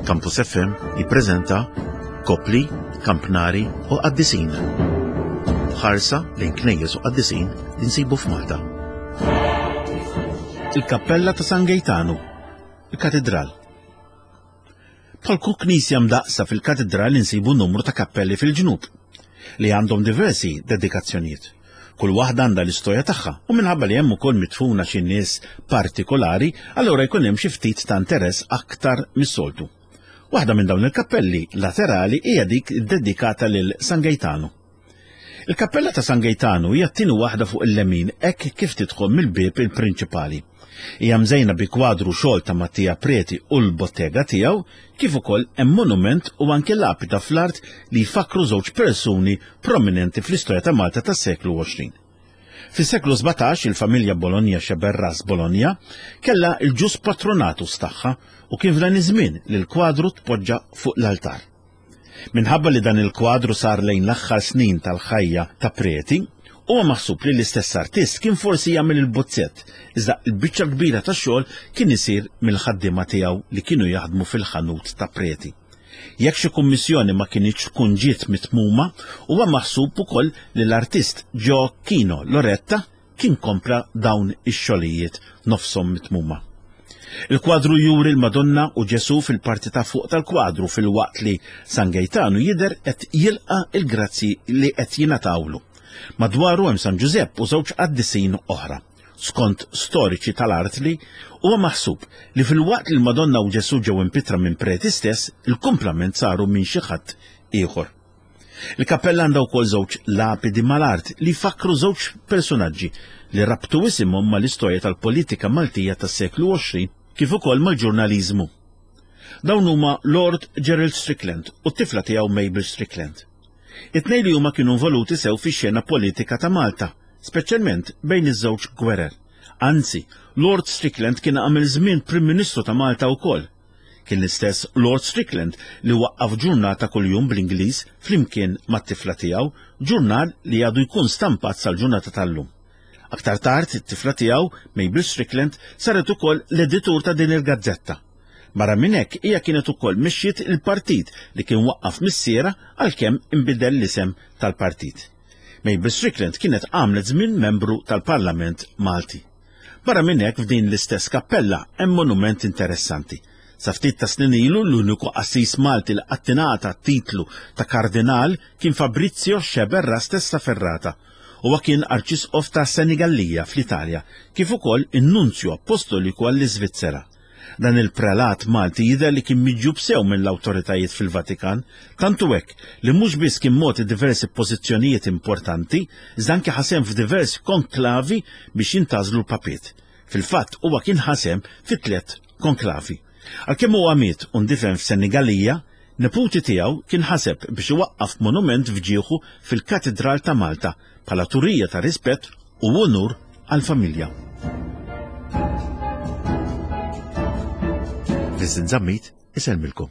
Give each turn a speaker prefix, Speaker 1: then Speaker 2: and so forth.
Speaker 1: Campus FM jippreżenta Kopli, Kampnari u Qaddisin. Ħarsa lejn knejjes u qaddisin li nsibu f'Malta. Il-Kappella ta' San Gejtanu, il-Katidral. Bħal kull knisja mdaqqsa fil-katidral insibu numru ta' kappelli fil-ġnub li għandhom diversi dedikazzjonijiet. Kull waħda għandha l-istorja tagħha u minħabba li hemm ukoll midfuna xi nies partikolari, allura jkun hemm xi ftit ta' interess aktar mis-soltu. Waħda minn dawn il-kappelli laterali hija dik dedikata lil San Gejtanu. Il-kappella ta' San Gejtanu hija t-tieni waħda fuq il-lemin hekk kif tidħol mill-bieb il-prinċipali. Hija mżejna bi kwadru xogħol ta' Mattia Preti u l-bottega tiegħu, kif ukoll hemm monument u anke lapida fl-art li jfakkru żewġ persuni prominenti fl-istorja ta' Malta tas-seklu 20. Fis-seklu 17 il-familja Bologna Sceberras Bologna kellha l-ġus patronatus tagħha u kien f'dan iż-żmien li l-kwadru tpoġġa fuq l-altar. Minħabba li dan il-kwadru sar lejn l-aħħar snin tal-ħajja ta' Preti, huwa maħsub li l-istess artist kien forsi jagħmel il-buzzett, iżda l-biċċa l-kbira tax-xogħol kien isir mill-ħaddiema tiegħu li kienu jaħdmu fil-ħanut ta' Preti. Jekk xi kummissjoni ma kinitx tkun ġiet mitmuma, huwa maħsub ukoll li l-artist Gioacchino Loretta kien kompla dawn ix-xogħlijiet nofshom mitmuma. Il-kwadru juri l-Madonna u Ġesù fil-parti ta' fuq tal-kwadru filwaqt li San Gejtanu jidher qed jilqa' l-grazzji li qed jingħatawlu. Madwaru hemm San Ġużepp u żewġ qaddisin oħra. Skont storiċi tal-art li huwa maħsub li filwaqt li l-Madonna u Ġesù ġew impittra minn preti stess, il-kumplament saru minn xi ħadd ieħor. Il-kappella għandha wkoll żewġ lapidi mal-art li jfakkru żewġ persunaġġi li rabtu isimhom mal-istorja tal-politika Maltija tas-seklu 20 kif ukoll mal-ġurnaliżmu. Dawn huma Lord Gerald Strickland u t-tifla tiegħu Mabel Strickland. It-tnejn li huma kienu involuti sew fix-xena politika ta' Malta, speċjalment bejn iż-żewġ gwerer. Anzi, Lord Strickland kien għamel żmien Prim Ministru ta' Malta wkoll. Kien l-istess Lord Strickland li waqqaf ġurnal ta' kuljum bl-Ingliż flimkien mat-tifla tiegħu, ġurnal li għadu jkun stampat sal-ġurnata tal-lum. Aktar tard, it-tifla tiegħu, Mabel Strickland, saret ukoll l-editur ta' din il-gazzetta. Barra minn hekk, hija kienet ukoll mexxiet il-partit li kien waqqaf missierha għalkemm inbidel l-isem tal-partit. Mabel Strickland kienet għamlet żmien membru tal-Parlament Malti. Barra minn hekk f'din l-istess kappella hemm monument interessanti. Sa ftit ta' snin ilu l-uniku qassis Malti li qatt ingħata t-titlu ta' Kardinal kien Fabrizio Sceberra Testaferrata. Huwa kien Arċisqof ta' Senigallia fl-Italja kif ukoll in-Nunzju Appostoliku għall-Iżvizzera. Dan il-prelat Malti jidher li kien miġjub sew mill-awtoritajiet fil-Vatikan, tant hu hekk li mhux biss kien mogħti diversi pożizzjonijiet importanti, iżda anki ħa sehem f'diversi konklavi biex jintgħażlu l-papiet. Fil-fatt huwa kien ħa sehem fi tlett konklavi. Għalkemm huwa miet u ndifen f'Senigallia, neputi tiegħu kien ħaseb biex iwaqqaf monument f'ġieħu fil-Katidral ta' Malta bħala turija ta' rispett u unur għall-familja. Vincent Zammit isellmilkom.